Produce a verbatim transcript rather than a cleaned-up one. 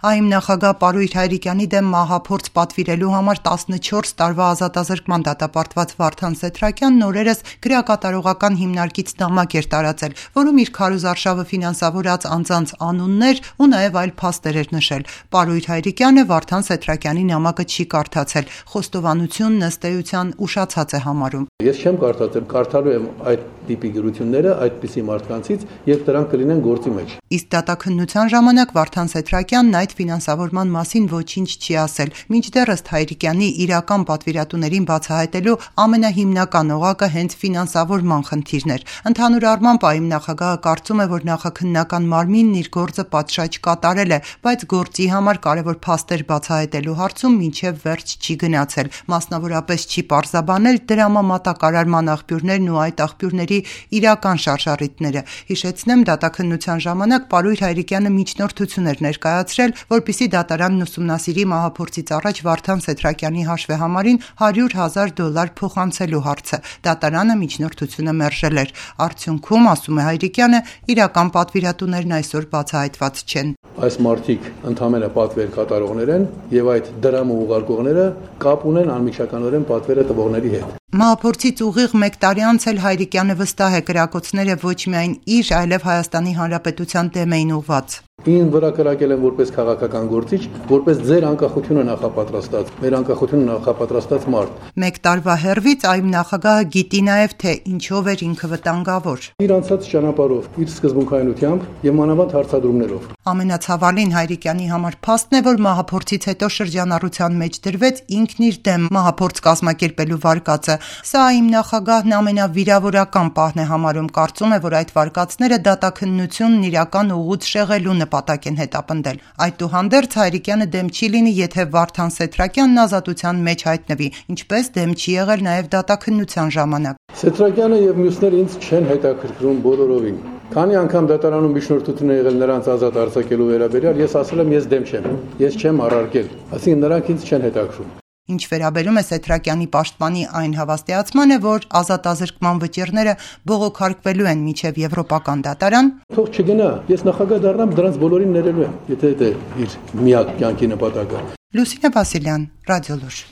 ԱԻՄ նախագահ Պարույր Հայրիկյանի դեմ մահափորձ պատվիրելու համար տասնչորս տարվա ազատազրկման դատապարտված Վարդան Սեթրակյանն օրերս գրակատարողական հիմնարկից նամակ էր տարածել, որում իր քարոզարշավը ֆինանսավորած անձանց անուններ ու նաև այլ փաստեր էր նշել։ Պարույր Հայրիկյանը Վարդան Սեթրակյանի նամակը չի կարդացել, խոստովանությունն ըստ էության ուշացած է համարում։ Ես չեմ կարդացել, կարդալու եմ այդ տիպի գրությունները այդպիսի մարդկանցից, եւ դրանք կլինեն գործի մեջ։ Իսկ դատաքննության ժամանակ Վարդան Սեթրակյանն այդ ֆինանսավորման մասին ոչինչ չի ասել, մինչդեռ ըստ Հայրիկյանի իրական պատվիրատուներին բացահայտելու ամենահիմնական օղակը հենց ֆինանսավորման խնդիրն էր։ Ընդհանուր առմամբ ԱԻՄ նախագահը կարծում է, որ նախաքննական մարմինն իր գործը պատշաճ կատարել է, բայց գործի համար կարևոր փաստեր բացահայտելու հարցում մինչև վերջ չի գնացել, մասնավորապես չի պարզաբանել դրամամատակարարման աղբյուրներն ու այդ աղբյուրների իրական շարժառիթները։ Հիշեցնեմ, դատաքննության ժամանակ Պարույր Հայրիկյանը միջնորդություն էր ներկայացրել, որպեսզի դատարանն ուսումնասիրի մահափորձից առաջ Վարդան Սեթրակյանի հաշվեհամարին հարյուր հազար դոլար փոխանցելու հարցը։ Դատարանը միջնորդությունը մերժել էր։ Արդյունքում, ասում է Հայրիկյանը, իրական պատվիրատուներն այսօր բացահայտված չեն։ Այս մարդիկ ընդհանրապես պատվեր կատարողներ են եւ այդ դրամը ուղարկողները կապ ունեն անմիջականորեն պատվերը տվողների հետ։ Մահափորձից ուղիղ մեկ տարի անց էլ Հայրիկյանը վստահ է, կրակոցները ոչ միայն իր, այլև Հայաստանի Հանրապետության դեմ էին ուղղված։ Ին վրա կրակել են որպես քաղաքական գործիչ, որպես ձեր անկախությունը նախապատրաստած, մեր անկախությունը նախապատրաստած մարդ։ Մեկ տարվա հեռվից ԱԻՄ նախագահը գիտի նաև, թե ինչով էր ինքը վտանգավոր։ Իր անցած ճանապարհով, իր սկզբունքայնությամբ եւ մանավանդ հարցադրումներով։ Ամենացավալին Հայրիկյանի համար փաստն է, որ մահափորձից հետո շրջանառության մեջ դրվեց ինքն իր դեմ մահափորձ կազմակերպելու վարկածը։ Սա ԱԻՄ նախագահն ամենավիրավորական պահն է համարում, կարծում է, որ այդ վարկածները դատաքննությունն իրական ուղուց շեղելու նպատակ են հետապնդել։ Այդուհանդերձ Հայրիկյանը դեմ չի լինի, եթե Վարդան Սեթրակյանն ազատության մեջ հայտնվի, ինչպես դեմ չի եղել նաև դատաքննության ժամանակ։ Սեթրակյանը եւ մյուսները ինձ չեն հետաքրքրում բոլորովին։ Քանի անգամ դատարանում միջնորդություն է եղել նրանց ազատ արձակելու վերաբերյալ, ես ասել եմ, ես դեմ չեմ, ես չեմ առարկել, այսինքն նրանք ինձ չեն հետաքրքրում։ Ինչ վերաբերում է Սեթրակյանի պաշտպանի այն հավաստիացմանը, որ ազատազրկման վճիռները բողոքարկվելու են մինչև եվրոպական դատարան, թող չգնա, ես նախագահ դառնամ, դրանց բոլորին ներելու եմ, եթե դա իր միակ կյանքի նպատակը։ Լուսինե Վասիլյան, Ռադիոլուր։